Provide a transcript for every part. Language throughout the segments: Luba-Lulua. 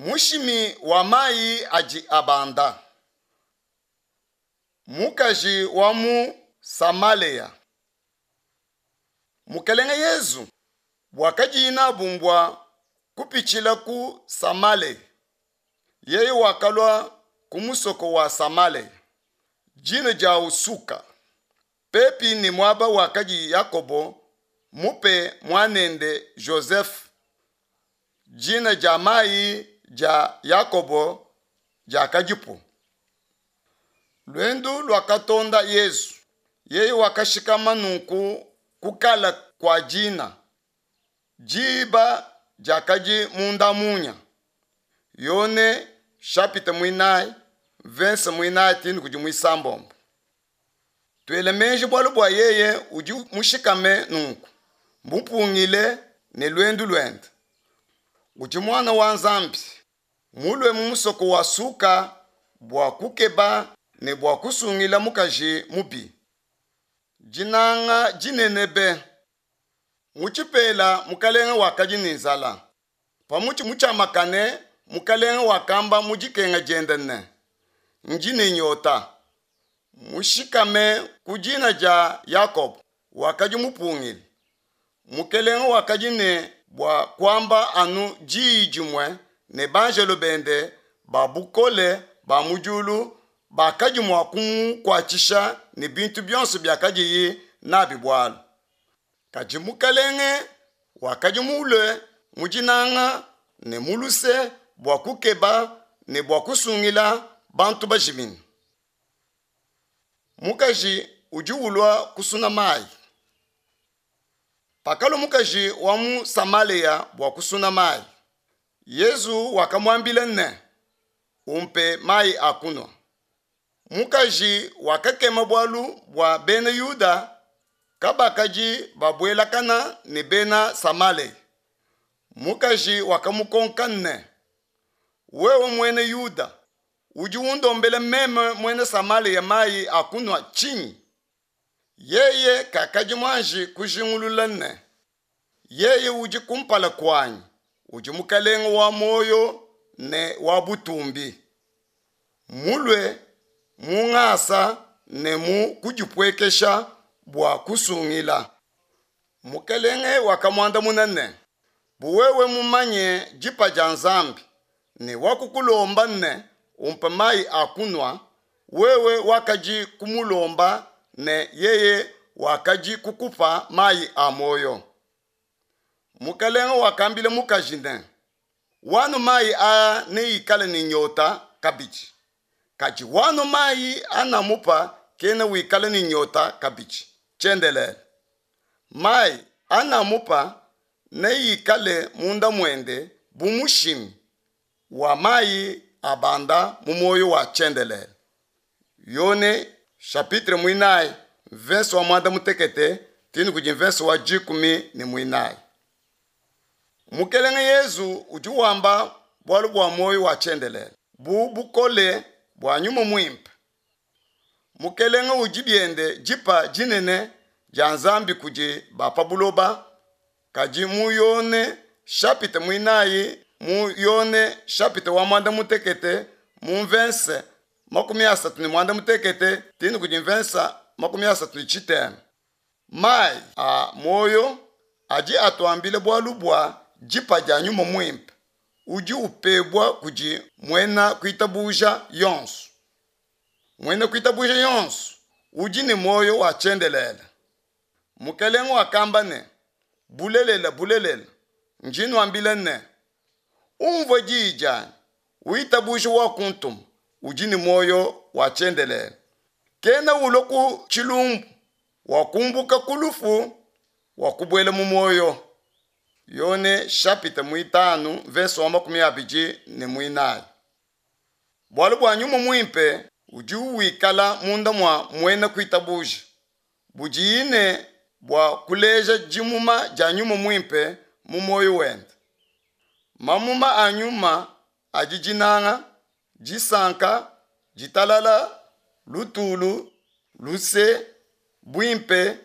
Mushimi wa mayi adi abanda. Mukaji wa mu Samalea. Mukelenge Yesu buakadiye nabu mbua kupitshila ku Samalea. Yeye wakalua ku musoko wa Samalea, dina diawu Suka, pepi ne muaba wakadi Yakobo mupe muanende Jozefe. Dina dia mayi dia Yakobo diakadipu. Luendu luakatonda Yezu. Yeye wakashikama nunku kukala kua dina. Diba diakadi munda munya. Yone chapitre muinayi verse muinayi too kudi muisambombo. Tuele meji bualu bua yeye udi mushikame nunku, mupungile ne luendu luende. Udi muana wa Nzambi, mulue mu musoko wa Suka bua kukeba ne bua kusungila mukaji mubi. Dinanga dinene be! Mu tshipela mukalenge wakadi ne nzala. Pa mutshi mutshiamakane mukalenge wakamba mu dikenga diende ne, Ndi ne nyota. Mushikame ku dina dia Yakobo wakadi mupungile. Mukelenge wakadi ne bua kuamba anu diyi dimue ne banjelo bende ba bukole ba mu diulu bakadi mua kumukuatshisha ne bintu bionso biakadiye nabi bualu. Kadi Mukelenge wakadi mulue mu dinanga ne mu luse bua kukeba ne bua kusungila bantu bajimine. Mukaji udi ulua kusuna mayi. Pakalua mukaji wa mu Samalea bua kusuna mayi, Yezu wakamuambila ne, Umpe mayi a kunua. Mukaji wakakema bualu bua bena Yuda kabakadi babuelakana ne bena Samalea. Mukaji wakamukonka ne, Wewe muena Yuda, udi undombela meme muena Samalea mayi a kunua tshinyi? Yeye kakadi muanji kujingulula ne, yeye udi kumpala kuanyi udi mukalenge wa muoyo ne wa butumbi, mulue mu ngasa ne mu kudipuekesha bua kusungila. Mukelenge wakamuandamuna ne, Bu wewe mumanye dipa dia Nzambi ne wakukulomba ne, Umpe mayi a kunua, wewe wakadi kumulomba ne yeye wakadi kukupa mayi a muoyo. Mukelenge wakambila mukaji ne, Wanu mayi aa neikale ne nyota kabidi, kadi wanu mayi anamupa kena wikala ne nyota kabidi tshiendelele. Mayi anamupa neikale munda muende bu mushimi wa mayi abanda mu muoyo wa tshiendelele. Yone chapitre muinayi mvese wa muanda mutekete too kudi mvese wa 14. Mukelenge Yezu udi wamba bualu bua muoyo wa tshiendelele bu bukole bua Nyuma Muimpe. Mukelenge udi biende dipa dinene dia Nzambi kudi ba pa buloba, kadi mu Yone chapitre muinayi mu Yone chapitre wa muanda mutekete mu mvese 38 too kudi mvese 33. Mayi a muoyo adi atuambila bualu bua dipa dia Nyuma Muimpe udi upebua kudi muena kuitabuja yonso. Muena kuitabuja yonso udi ne muoyo wa tshiendelele. Mukelenge wakamba ne, Bulelela, bulelela, ndi nuambila ne, umvua diyi dianyi, uitabuje wakuntuma, udi ne muoyo wa tshiendelele. Kena ulua ku tshilumbu, wakumbuka ku lufu, wakubuela mu muoyo. Yone chapitre muitanu verse wa 24. Bualu bua Nyuma Muimpe udi wikala munda mua muena kuitabuja, budiye ne bua kuleja dimuma dia Nyuma Muimpe mu muoyo wende. Mamuma a Nyuma adi dinanga, disanka, ditalala, lutulu, luse, buimpe,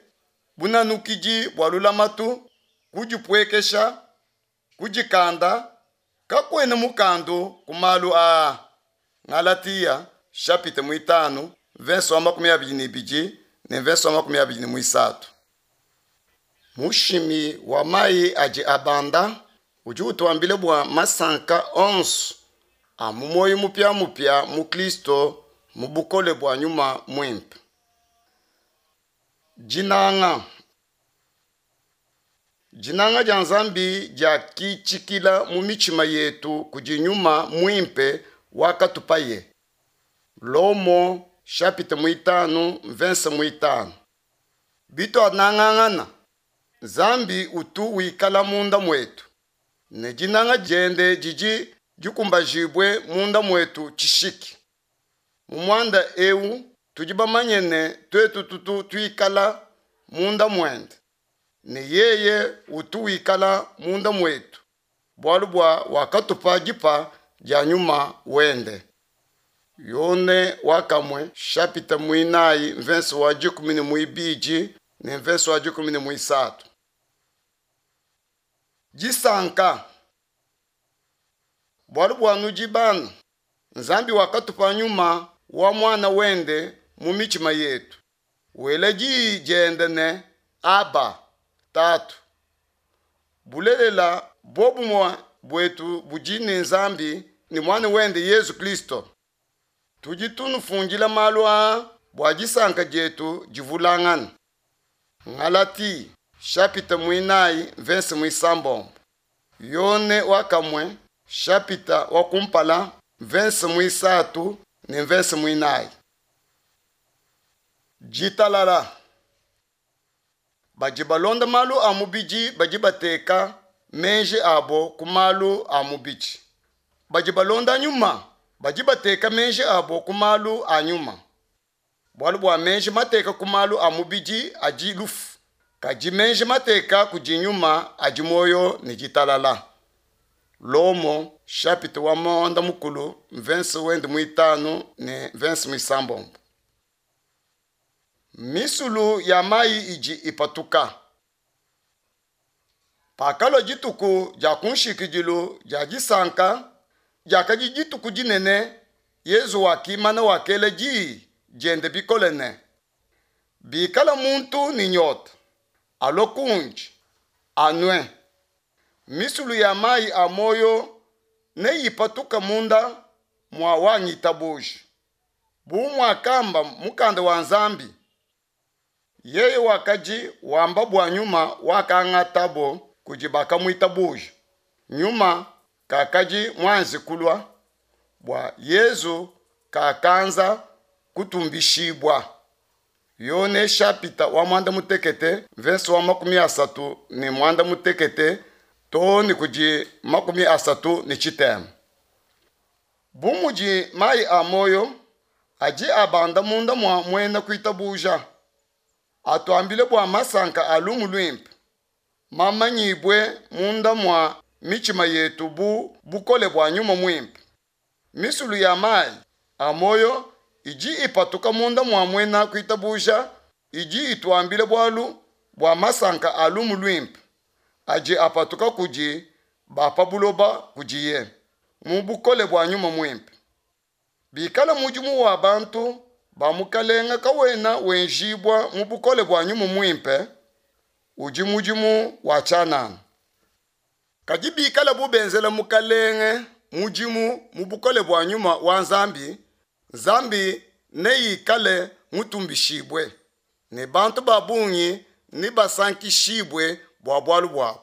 bunanukidi bua lulamatu, kudipuekesha, kudikanda. Kakuena mukandu ku malu aa. Ngalatiya shapita muitanu mvese wa 22 ne mvese wa 23. Mushimi wa mayi adi abanda udi utuambila bua masanka onso a mu muoyo mupiamupia mu Kristo mu bukole bua Nyuma Muimpe. Dinanga. Dinanga dia Nzambi diakitshikila mu mitshima yetu kudi Nyuma Muimpe wakatupaye. Lomo chapitre muitanu mvese muitanu. Bituanangangana, Nzambi utu wikala munda muetu, ne dinanga diende didi dikumbajibue munda muetu tshishiki. Mu muanda eu tudi bamanye ne tuetu tutu tuikala munda muende, ne yeye utu wikala munda muetu, bualu bua wakatupa dipa dia nyuma wende. Yone wakamue chapitre muinayi mvese wa 12 ne mvese wa 13. Disanka. Bualu bua nudi bana, Nzambi wakatupa nyuma wa muana wende mu mitshima yetu, wela diyi diende ne, Aba, Tatu. Bulelela, buobumue buetu budi ne Nzambi ne muana wende Yezu Kristo. Tudi tunufundila malu aa bua disanka dietu divulangane. Ngalati chapitre muinayi mvese muisambombo. Yone wakamue chapitre wa kumpala mvese muisatu ne mvese muinayi. Ditalala. Badi balonda malu a mubidi badi bateka meji abo ku malu a mubidi. Badi balonda nyuma badi bateka meji abo ku malu a nyuma. Bualu bua meji mateka ku malu a mubidi adi lufu, kadi meji mateka kudi nyuma adi muoyo ne ditalala. Lomo chapitre wa mwanda mukulu mvese wende muitanu ne mvese muisambombo. Misulu ya mayi idi ipatuka. Pakalua dituku dia kunshikidilu dia disanka, diakadi dituku dinene, Yezu wakimana wakela diyi diende bikole ne, bikala muntu ne nyota, alue kundi, anue. Misulu ya mayi a muoyo neyipatuka munda mua wangitabuja. Bu muakamba mukanda wa Nzambi, yeye wakadi wamba bua nyuma wakangatabo kudi bakamuitabuja. Nyuma kakadi muanze kulua bua Yezu kakanza kutumbishibua. Yone chapitre wa mwanda mutekete verse wa 38 too ne kudi 37. Bu mudi mayi a moyo adi abanda munda mua muena kuitabuja, atuambile bua masanka a lumu luimpe mamanyibue munda mua mitshima yetu bu bukole bua nyuma muimpe. Misulu ya mayi a moyo idi ipatuka munda mua muena kuitabuja idi ituambile bualu bua masanka a lumu luimpe adi apatuka kudi ba pa buloba kudiye mu bukole bua nyuma muimpe. Bikala mudimu wa bantu ba mukalenga kawena wenjibua mu bukole bua nyuma muimpe, udi mudimu wa tshianana. Kadi bikala bu benzela mukalenge mudimu mu bukole bua nyuma wa Nzambi, Nzambi neikale mutumbishibue, ne bantu ba bungi nebasankishibue bua bualu buabu.